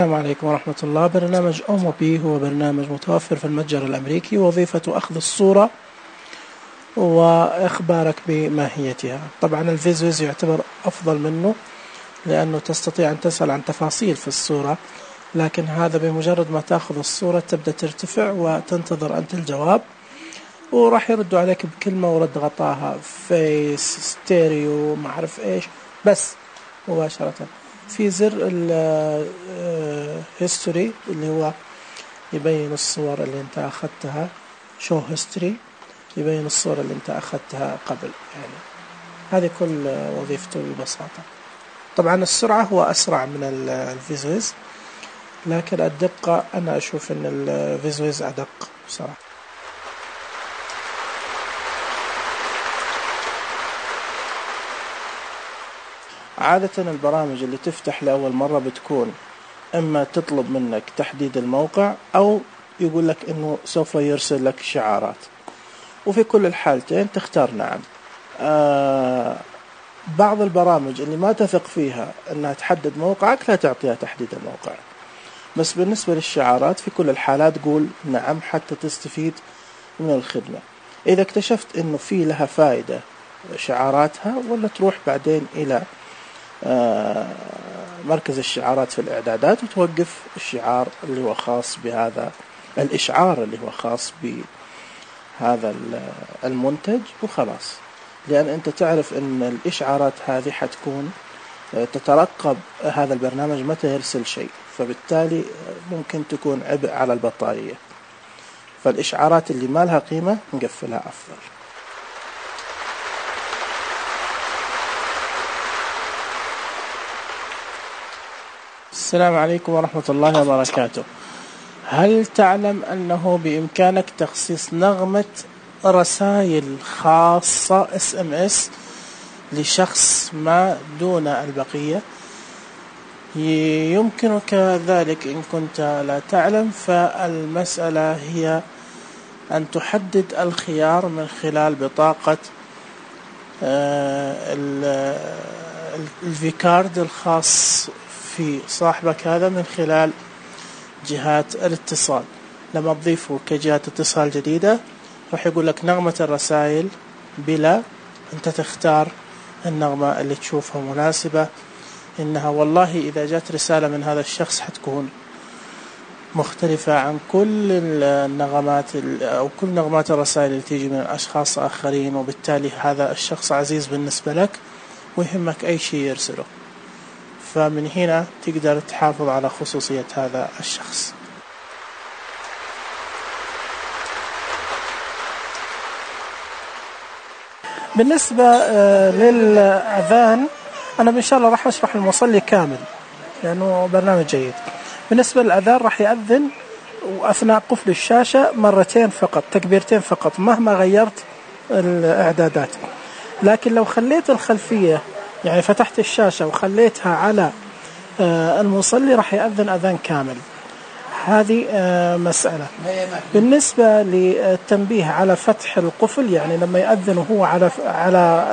السلام عليكم ورحمة الله. برنامج أوموبي هو برنامج متوفر في المتجر الأمريكي، وظيفته أخذ الصورة وإخبارك بماهيتها. طبعا الفيزويز يعتبر أفضل منه لأنه تستطيع أن تسأل عن تفاصيل في الصورة، لكن هذا بمجرد ما تأخذ الصورة تبدأ ترتفع وتنتظر أنت الجواب، وراح يردوا عليك بكلمة ورد غطاها فيس ستيريو ما أعرف إيش، بس مباشرة. في زر الهيستوري اللي هو يبين الصور اللي انت أخذتها، شو هيستوري يبين الصور اللي انت أخذتها قبل. يعني هذه كل وظيفته ببساطة. طبعا السرعة هو أسرع من الفيزويز، لكن الدقة أنا أشوف أن الفيزويز أدق بصراحة. عادة البرامج اللي تفتح لأول مرة بتكون إما تطلب منك تحديد الموقع أو يقول لك إنه سوف يرسل لك شعارات، وفي كل الحالتين تختار نعم. بعض البرامج اللي ما تثق فيها إنها تحدد موقعك لا تعطيها تحديد الموقع، بس بالنسبة للشعارات في كل الحالات قول نعم حتى تستفيد من الخدمة. إذا اكتشفت إنه في لها فائدة شعاراتها، ولا تروح بعدين إلى مركز الشعارات في الإعدادات وتوقف الشعار اللي هو خاص بهذا الإشعار اللي هو خاص بهذا المنتج وخلاص، لأن أنت تعرف أن الإشعارات هذه حتكون تترقب هذا البرنامج متى يرسل شيء، فبالتالي ممكن تكون عبء على البطارية. فالإشعارات اللي ما لها قيمة نقفلها أفضل. السلام عليكم ورحمة الله وبركاته. هل تعلم أنه بإمكانك تخصيص نغمة رسائل خاصة SMS لشخص ما دون البقية؟ يمكنك ذلك إن كنت لا تعلم. فالمسألة هي أن تحدد الخيار من خلال بطاقة الفيكارد الخاص في صاحبك هذا من خلال جهات الاتصال. لما تضيفه كجهة اتصال جديدة راح يقول لك نغمة الرسائل بلا، أنت تختار النغمة اللي تشوفها مناسبة. إنها والله إذا جات رسالة من هذا الشخص حتكون مختلفة عن كل النغمات أو كل نغمات الرسائل اللي تيجي من أشخاص آخرين، وبالتالي هذا الشخص عزيز بالنسبة لك ويهمك أي شيء يرسله. فمن هنا تقدر تحافظ على خصوصية هذا الشخص. بالنسبة للأذان أنا إن شاء الله راح أشرح المصلي كامل لأنه برنامج جيد. بالنسبة للأذان راح يأذن وأثناء قفل الشاشة مرتين فقط، تكبيرتين فقط، مهما غيرت الإعدادات. لكن لو خليت الخلفية يعني فتحت الشاشة وخليتها على المصلي راح يأذن أذان كامل. هذه مسألة. بالنسبة للتنبيه على فتح القفل، يعني لما يأذن وهو على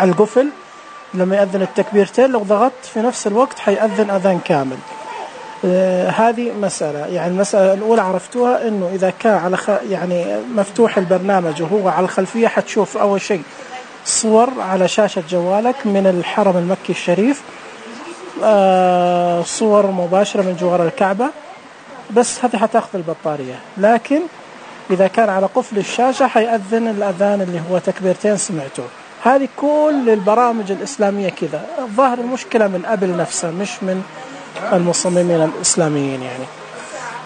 القفل، لما يأذن التكبيرتين لو ضغطت في نفس الوقت حيأذن أذان كامل. هذه مسألة. يعني المسألة الأولى عرفتوها إنه إذا كان على يعني مفتوح البرنامج وهو على الخلفية حتشوف أول شيء صور على شاشة جوالك من الحرم المكي الشريف، صور مباشرة من جوار الكعبة، بس هذه حتأخذ البطارية. لكن إذا كان على قفل الشاشة حيأذن الأذان اللي هو تكبيرتين سمعته. هذه كل البرامج الإسلامية كذا. الظاهر المشكلة من أبل نفسه مش من المصممين الإسلاميين يعني.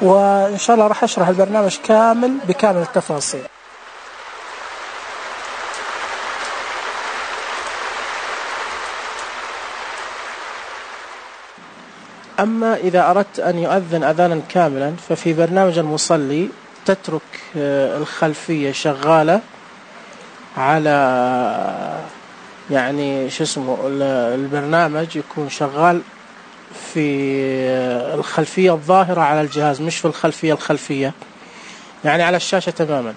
وإن شاء الله راح أشرح البرنامج كامل بكامل التفاصيل. أما إذا أردت أن يؤذن أذانا كاملا ففي برنامج المصلي تترك الخلفية شغالة على يعني شو اسمه البرنامج يكون شغال في الخلفية الظاهرة على الجهاز، مش في الخلفية يعني على الشاشة تماما.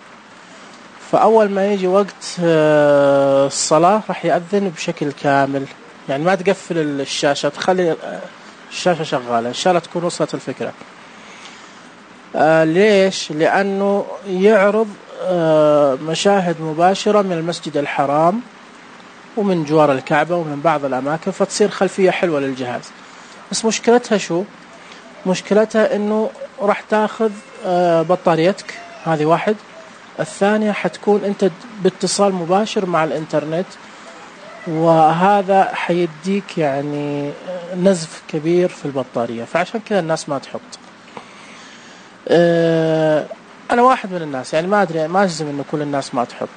فأول ما يجي وقت الصلاة راح يأذن بشكل كامل، يعني ما تقفل الشاشة، تخلي الشاشة شغالة، إن شاء الله تكون وصلت الفكرة. ليش؟ لأنه يعرض مشاهد مباشرة من المسجد الحرام ومن جوار الكعبة ومن بعض الأماكن، فتصير خلفية حلوة للجهاز. بس مشكلتها شو؟ مشكلتها إنه راح تاخذ بطاريتك، هذه واحد. الثانية حتكون أنت باتصال مباشر مع الإنترنت، وهذا حيديك يعني نزف كبير في البطارية، فعشان كذا الناس ما تحط. أنا واحد من الناس، يعني ما أدري، ما أجزم إنه كل الناس ما تحط،